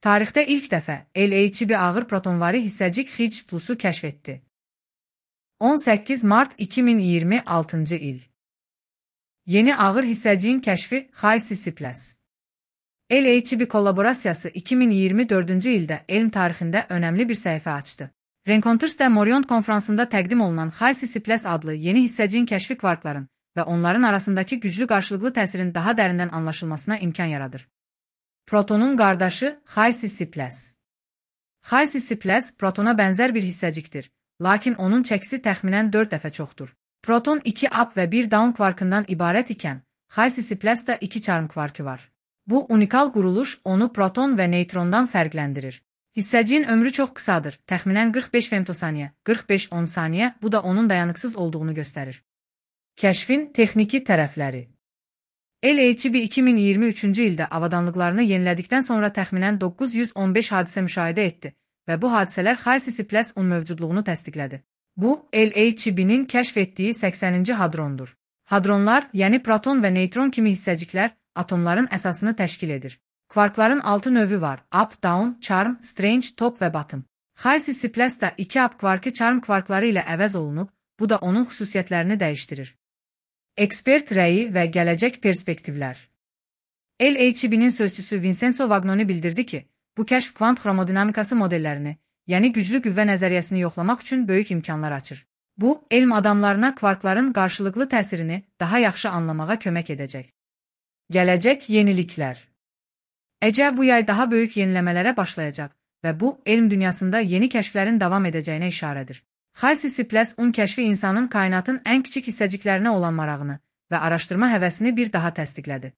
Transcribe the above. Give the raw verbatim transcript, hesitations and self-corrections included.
Tarixdə ilk dəfə LHB ağır protonvari hissəcik Higgs plusu kəşf etdi. on səkkiz mart iki min iyirmi altıncı il. Yeni ağır hissəciyin kəşfi Higgs+. LHB kollaborasiyası iki min iyirmi dördüncü ildə elm tarixində önəmli bir səhifə açdı. Rencontres de Morion konferansında təqdim olunan Higgs+ adlı yeni hissəciyin kəşfi kvarkların və onların arasındakı güclü qarşılıqlı təsirin daha dərindən anlaşılmasına imkan yaradır. Protonun qardaşı Higgs+. Higgs+ protona bənzər bir hissəcikdir, lakin onun çəkisi təxminən dörd dəfə çoxdur. Proton iki up və bir down kvarkından ibarət ikən, Higgs+-da iki çarm kvarkı var. Bu unikal quruluş onu proton və neytrondan fərqləndirir. Hissəciyin ömrü çox qısadır, təxminən qırx beş femtosaniyə, qırx beş on saniyə, bu da onun dayanıqsız olduğunu göstərir. Kəşfin texniki tərəfləri. LHB iki min iyirmi üçüncü ildə avadanlıqlarını yenilədikdən sonra təxminən doqquz yüz on beş hadisə müşahidə etdi və bu hadisələr Higgs+-un mövcudluğunu təsdiqlədi. Bu, LHB-nin kəşf etdiyi səksəninci hadrondur. Hadronlar, yəni proton və neytron kimi hissəciklər, atomların əsasını təşkil edir. Kvarkların altı növü var: up, down, charm, strange, top və bottom. Higgs+-da iki up kvarkı charm kvarkları ilə əvəz olunub, bu da onun xüsusiyyətlərini dəyişdirir. Ekspert rəyi və gələcək perspektivlər. LHB-nin sözçüsü Vincenzo Vagnoni bildirdi ki, bu kəşf kvant xromodinamikası modellərini, yəni güclü qüvvə nəzəriyyəsini yoxlamaq üçün böyük imkanlar açır. Bu, elm adamlarına kvarkların qarşılıqlı təsirini daha yaxşı anlamağa kömək edəcək. Gələcək yeniliklər. Əcə bu yay daha böyük yeniləmələrə başlayacaq və bu, elm dünyasında yeni kəşflərin davam edəcəyinə işarədir. Higgs+-un kəşfi insanın kainatın ən kiçik hissəciklərinə olan marağını və araşdırma həvəsini bir daha təsdiqlədi.